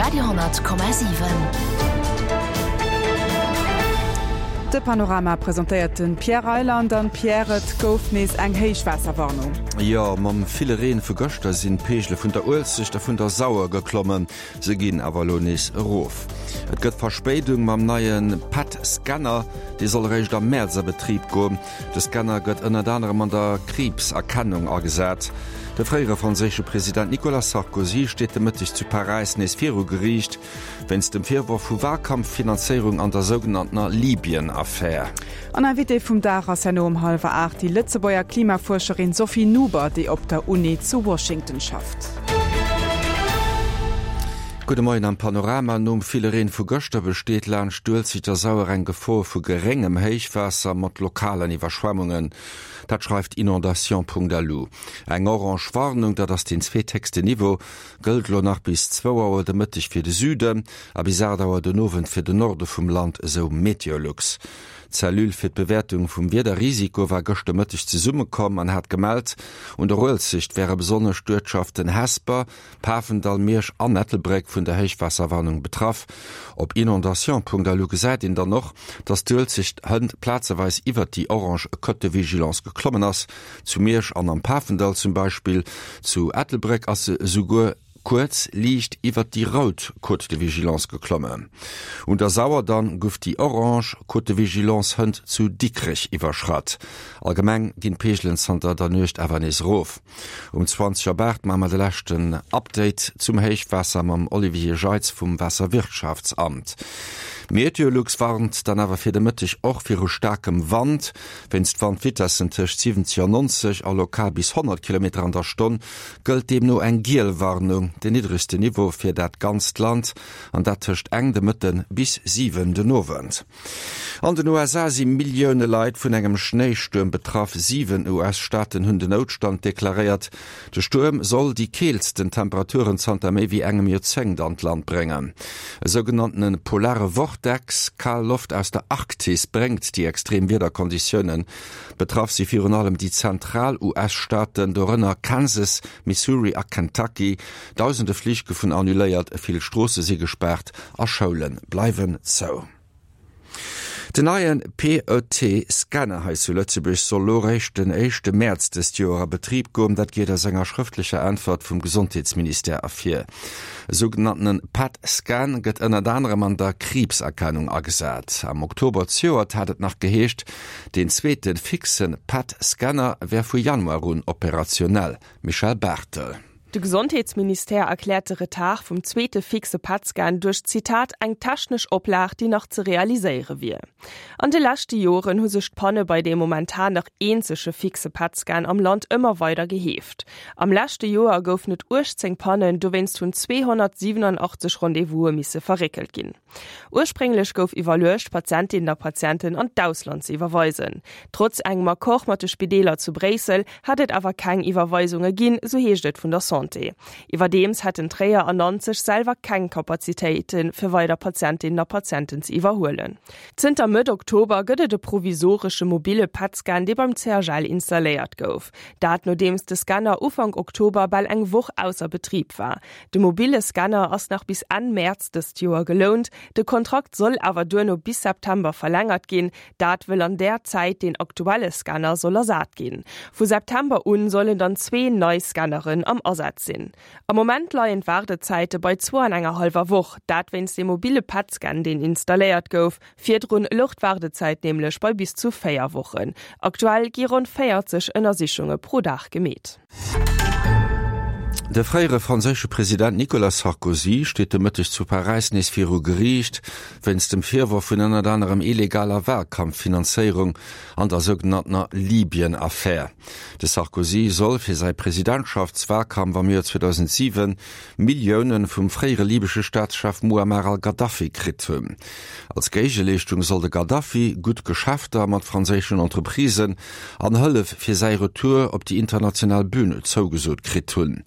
Radio 10,7. De Panorama presentéiert de Pierre Reyland. An Pierre, et gouf nees eng Héichwaasserwarnung. Jo, mam ville Reen vu gëschter sinn d'Peegele vun der Uelzecht a vun der Sauer geklommen. Se ginn awer elo nees erof. Et gëtt Verspéidung mam neie PET-Scanner, dee soll eréischt am Mäerz a Betrib goen. De Scanner gëtt ënnert anerem an der Kriibserkennung agesat. De fréiere franséische President Nicolas Sarkozy steet de Mëtteg zu Paräis nees viru Geriicht, wéinst dem Virworf vu Walkampffinanzéierung an der sougenanntener Libyen-Affär. An Invitée vum Dag ass herno um hallwer 8 déi Lëtzebuerger Klimafuerscherin Sophie Nuber, déi op der Uni zu Washington schafft. Gudde Moien am Panorama. Nom ville Reen vu gëschter besteet laanscht d'Uelzecht a Sauer eng Gefor vu geréngem Héichwaasser mat lokalen Iwwerschwemmungen. Dat schreift inondation.lu. Eng orange Warnung, dat ass deen zweethéchsten Niveau, gëllt elo nach bis zwou Auer de Mëtteg fir de Süden a bis 8 Auer den Owend fir den Norde vum Land, esou Meteolux. D'Cellule fir d'Bewäertung vum Wiederrisiko war gëschter Mëtteg zesummekomm an hat gemellt, un der Uelzecht wäre besonnesch d'Uertschaften Hesper, Pafendall, Miersch an Ettelbréck vun der Héichwaasserwarnung betraff. Op inondation.lu gesäit een dann och, dass d'Uelzecht hënt plazeweis iwwert déi orange Cote de vigilance geklommen ass, zu Miersch an am Pafendall zum Beispill. Zu Ettelbréck ass se esouguer kuerz liicht iwwert déi rout Cote de vigilance geklommen. Un der Sauer dann guff déi orange Cote de vigilance hënt zu Dikrech iwwerschratt. Allgemeng ginn d'Peegelen zanter der Nuecht awer nees erof. Um 20 op 8 maache mer de leschten Update zum Héichwaasser mam Olivier Jeitz vum Waasserwirtschaftsamt. Meteolux warnt dann awer fir de Mëtteg och viru staarkem Wand. Wéinst Wandvitessen tëscht 70 an 90 a lokal bis 100 Kilometer an der Stonn gëllt deemno eng giel Warnung, den niddregsten Niveau fir dat ganzt Land, an dat tëscht eng de Mëtte bis 7 den Owend. An den USA si Millioune Leit vun engem Schnéistuerm betraff. 7 US-Staaten hunn den Noutstand deklaréiert. De Stuerm soll déi keelsten Temperaturen zanter méi wéi engem Joerzéngt an d'Land bréngen. E sougenanntene polare Vortex, kal Loft aus der Arktis, bréngt déi extrem Wiederkonditiounen. Betraff si virun allem déi zentral US-Staaten, dorënner Kansas, Missouri a Kentucky. Dausende Flich goufen annuléiert, vill Stroosse si gespaart a Schoule bleiwen zou. Den neie PET-Scanner hei zu Lëtzebuerg soll lo réischt den éischte Mäerz dëst Joer a Betrib goen. Dat geet aus enger schrëftlecher Äntwert vum Gesondheetsministère ervir. E sougenanntene PET-Scan gëtt ënnert anerem an der Kriibserkennung agesat. Am Oktober zejoert hat et nach geheescht, deen zweete fixe PET-Scanner wär vu Januar un operationell. Michèle Barthel. De Gesondheetsministère erkläert de Retard vum zweete fixe PET-Scan duerch, Zitat, eng technesch Oplag, déi nach ze realiséiere wier. An de leschte Joren hu sech d'Panne bei deem momentan nach eenzege fixe PET-Scan am Land ëmmer weider geheeft. Am leschte Joer goufen et 18 Pannen, dowéinst hunn 287 Rendez-vouse misse verréckelt ginn. Ursprénglech gouf iwwerluecht, Patientinnen a Patienten an d'Ausland ze iwwerweisen. Trotz engem Accord mat de Spideeler zu Bréissel hätt et awer keng Iwwerweisunge ginn, sou heescht et vun der Santé. Iwwerdeems hätten Tréier an Nanzeg selwer keng Kapazitéite fir weider Patientinnen a Patienten ze iwwerhuelen. Zënter Mëtt Oktober gëtt et e provisoresche mobile PET-Scan, dee beim CHL installéiert gouf. Dat nodeems de Scanner Ufank Oktober bal eng Woch ausser Betrib war. De mobile Scanner ass nach bis Enn Mäerz dëst Joer gelount. De Kontrakt soll awer duerno bis September verlängert ginn, dat wëll an där Zäit deen aktuelle Scanner soll ersat ginn. Vu September un sollen dann zwee nei Scanneren am Asaz sinn. Am Moment leien d'Waardezäite bei zwou an enger hallwer Woch, dat wéinst dem mobile PET-Scan, deen installéiert gouf. Virdrun louch d'Waardezäit nämlech bei bis zu 4 Wochen. Aktuell gi ronn 40 Ënnersichunge pro Dag gemeet. De fréiere franséische President Nicolas Sarkozy steet de Mëtteg zu Paräis nees viru Geriicht, wéinst dem Virworf vun ënnert anerem illegaler Walkampffinanzéierung an der sougenanntener Libyen-Affär. De Sarkozy soll fir säi Presidentschaftswalkampf am Joer 2007 Millioune vum fréiere libesche Staatschef Muammar al-Gaddafi kritt hunn. Als Géigeleeschtung soll de Gaddafi gutt Geschäfter mat franséischen Entreprisen an Hëllef fir säi Retour op déi international Bün zougesot kritt hunn.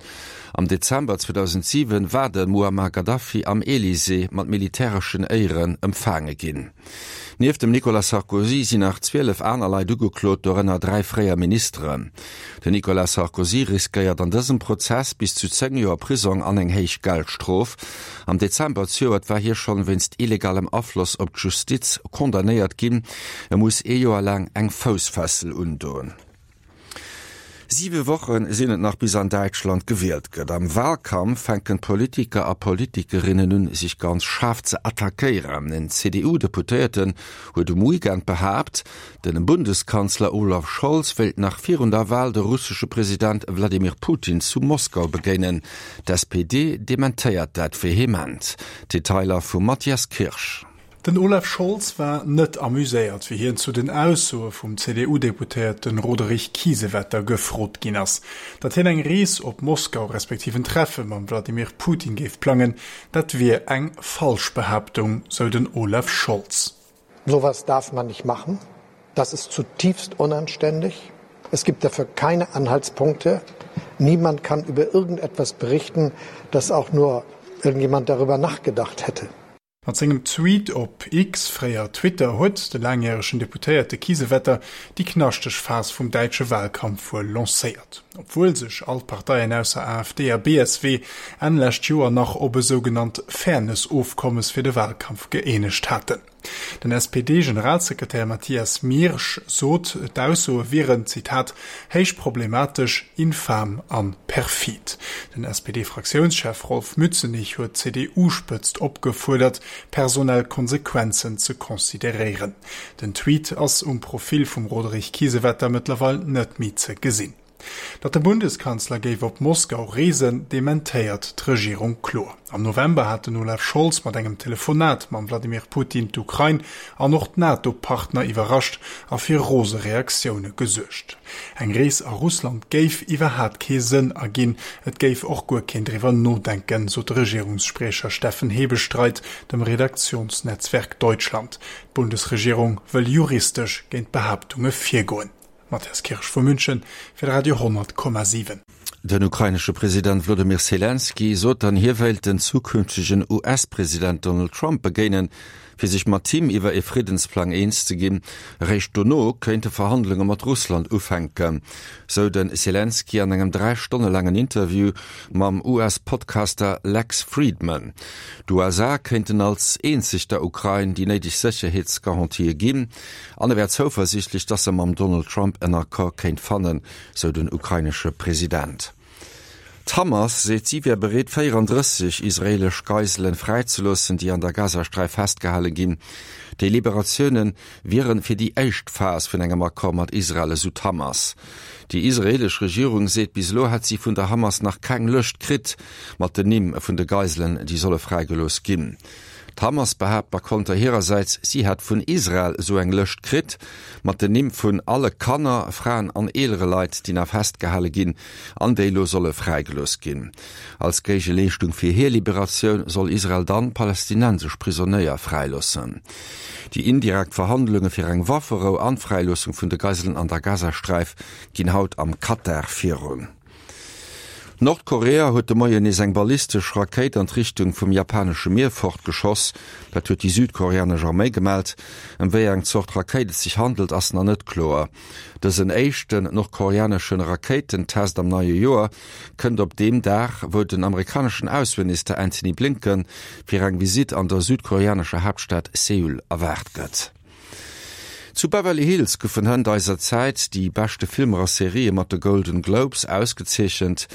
Am Dezember 2007 war de Muammar Gaddafi am Elysée mat militäreschen Éieren empfaange ginn. Nieft dem Nicolas Sarkozy sinn nach 12 aner Leit ugeklot, dorënner 3 fréier Ministeren. Den Nicolas Sarkozy riskéiert an dësem Prozess bis zu 10 Joer Prisong an eng héich Geldstrof. Am Dezember zejoert war hie schonn wéinst illegalem Afloss op d'Justiz condamnéiert ginn. E muss ee Joer laang eng Foussfessel undoen. Siwe Woche sinn et nach bis an Däitschland gewielt gëtt. Am Walkampf fänken d'Politiker a Politikerinnen un, sech ganz schaarf ze attackéieren. En CDU-Deputéierten huet um Weekend behaapt, de Bundeskanzler Olaf Scholz wéilt nach virun der Wal de russesche President Wladimir Putin zu Moskau begéinen. D'SPD dementéiert dat vehement. Detailer vum Matthias Kirsch. Den Olaf Scholz war net amuséiert, wéi hien zu den Aussoe vum CDU-Deputéierte Roderich Kiesewetter gefrot ginn ass. Datt hien eng Rees op Moskau respektiv en Treffe mam Wladimir Putin géif plangen, dat wier eng falsch Behaaptung, sou den Olaf Scholz. Sowas darf man nicht machen. Das ist zutiefst unanständig. Es gibt dafür keine Anhaltspunkte. Niemand kann über irgendetwas berichten, dass auch nur irgendjemand darüber nachgedacht hätte. Mat sengem Tweet op X, fréier Twitter, huet de laangjäregen Deputéierte Kiesewetter déi knaschteg Phas vum däitsche Walkampf wuel lancéiert. Obwuel sech all d'Parteien ausser AfD a BSW Enn lescht Joer nach op e sougenannt Fairness-Ofkommes fir de Walkampf gëeenegt haten. Den SPD-Generalsekretär Matthias Miersch sot, d'Aussoe wieren, Zitat, héich problematesch, infam an perfid. Den SPD-Fraktiounschef Rolf Mützenich huet d'CDU-Spëtzt opgefuerdert, personell Konsequenzen ze consideréieren. Den Tweet ass um Profil vum Roderich Kiesewetter mëttlerweil net méi ze gesinn. Datt de Bundeskanzler géif op Moskau reesen, dementéiert d'Regierung kloer. Am November hat den Olaf Scholz mat engem Telefonat mam Wladimir Putin d'Ukrain an och d'NATO-Partner iwwerrascht a fir rose Reaktioune gesuergt. Eng Rees a Russland géif iwwerhaat kee Sënn erginn, et géif och guer keen driwwer nodenken, sot de Regierungsspriecher Steffen Hebestreit dem Redaktionsnetzwerk Deutschland. D'Bundesregierung wëll juristesch géint d'Behaaptunge virgoen. Matthias Kirsch vu München fir de Radio 10,7. Den ukrainesche President Wlodymyr Selenskyj sot dann, hie wéilt den zukünftegen US-President Donald Trump begéinen, fir sech mat him iwwer ee Friddensplang eens ze ginn. Eréischt dono kéinte Verhandlunge mat Russland ufänken, sou de Selenskyj an engem 3 Stonne laangen Interview mam US-Podcaster Lex Fridman. D'USA kéinten als eenzeg der Ukrain déi néideg Sécherheetsgarantië ginn. An e wär zouversiichtlech, datt e mam Donald Trump en Accord kéint fannen, sou den ukrainesche President. D'Hamas seet, si wär bereet 34 israeelesch Geiselen fräizeloossen, déi an der Gazasträif festgehale ginn. Déi Liberatioune wiere fir déi éischt Phas vun engem Accord mat Israel, esou d'Hamas. Déi israeelesch Regierung seet, bis elo hätt si vun der Hamas nach keng Lëscht kritt mat den Nimm vun de Geiselen, déi solle fräigelooss ginn. D'Hamas behaapt par konter hirersäits, si hätt vun Israel esou eng Lëscht kritt, mat den Nimm vun alle Kanner, Fraen an eelere Leit, déi nach festgehale ginn an déi elo solle fräigelooss ginn. Als Géigeleeschtung fir hir Liberatioun soll Israel dann palästinensesch Prisonéier fräiloossen. Déi indirekt Verhandlunge fir eng Wafferou an d'Fräiloossung vun de Geiselen an der Gazasträif ginn haut am Katar virun. Nordkorea huet de Moien nees eng ballistesch Rakéit an d'Richtung vum japanesche Mier fortgeschoss. Dat huet déi südkoreanesch Arméi gemellt. Ëm wéi eng Zort Rakéit et sech handelt, ass nach net kloer. Dësen éischten nordkoreaneschen Rakéitentest am neie Joer kënnt op deem Dag, wou den amerikaneschen Ausseminister Antony Blinken fir eng Visitt an der südkoreanescher Haaptstad Seoul erwaart gëtt. Zu Beverly Hills goufen hënt eiser Zäit déi beschte Filmer a Serië mat de Golden Globes ausgezeechent.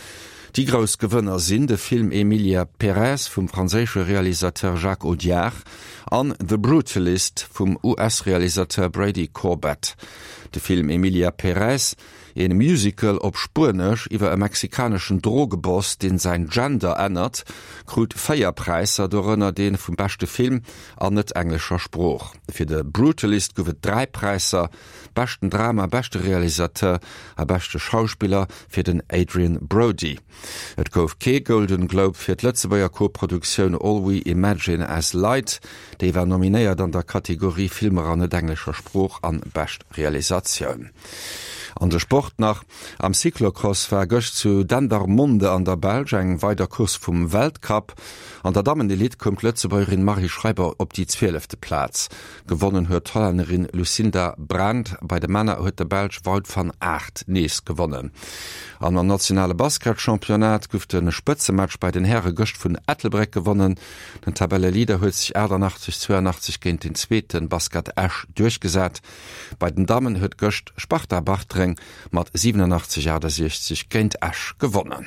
Déi grouss Gewënner sinn de Film Emilia Pérez vum franséische Realisateur Jacques Audiard an The Brutalist vum US-Realisateur Brady Corbet. De Film Emilia Pérez Een Musical op Spuenesch iwwer e mexikaneschen Drogeboss, deen säin Gender ännert, krut 4 Präisser, dorënner dee vum beschte Film an net-englescher Sprooch. Fir The Brutalist gouf et 3 Präisser, beschten Drama, beschte Realisateur a beschte Schauspiller fir den Adrien Brody. Et gouf kee Golden Globe fir d'Lëtzebuerger Koproduktioun All We Imagine As Light, déi war nominéiert an der Kategorie Filmer an net-englescher Sprooch an bescht Realisatioun. An de Sport nach, Am Cyclocross war gëscht zu Dendermonde an der Belsch eng weider Course vum Weltcup. An der Dammenelite koum d'Lëtzebuergerin Marie Schreiber op déi zwielefte Plaz. Gewonnen huet d'Hollännerin Lucinda Brand. Bei de Männer huet de Belsch Wout van Aert nees gewonnen. An am nationale Basketchampionnat gouf de Spëtzematch bei den Häre gëscht vun Ettelbréck gewonnen. Den Tabelleleader huet sech 88, 82 géint den zweete Basket Esch duerchgesat. Bei den Dammen huet gëscht Sparta Bartreng mat 87, 68 géint Esch gewonnen.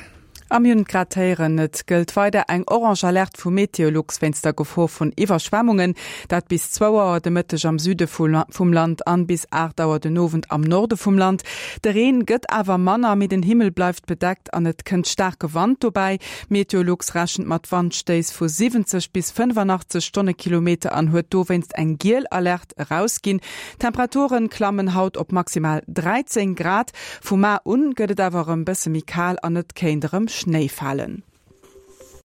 A mir hunn et grad héieren, et gëllt weider eng orange Alerte vu Meteolux wéinst der Gefor vun Iwwerschwemmungen. Dat bis zwou Auer de Mëtteg am Süde vum Land an bis 8 Auer den Owend am Norde vum Land. De Reen gëtt awer manner, mee den Himmel bleift bedeckt an et kënnt staarke Wand dobäi. Meteolux rechent mat Wandstéiss vu 70 bis 85 Stonnekilometer an huet dowéinst eng giel Alerte erausginn. D'Temperaturen klammen haut op maximal 13 Grad. Vu mar un gëtt et awer erëm bësse méi kal an et kéint erëm Schnéi falen.